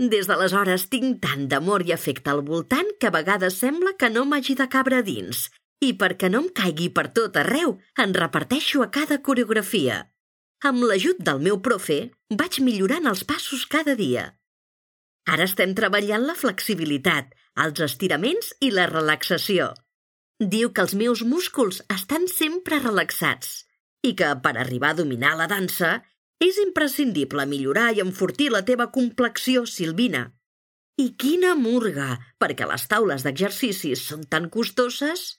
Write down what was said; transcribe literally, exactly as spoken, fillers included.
Des d'aleshores tinc tant d'amor i afecte al voltant que a vegades sembla que no m'hagi de cabre dins. I perquè no em caigui per tot arreu, en reparteixo a cada coreografia. Amb l'ajut del meu profe, vaig millorant els passos cada dia. Ara estem treballant la flexibilitat, els estiraments i la relaxació. Diu que els meus músculs estan sempre relaxats i que, per arribar a dominar la dansa, és imprescindible millorar i enfortir la teva complexió silvina. I quina murga, perquè les taules d'exercicis són tan costoses.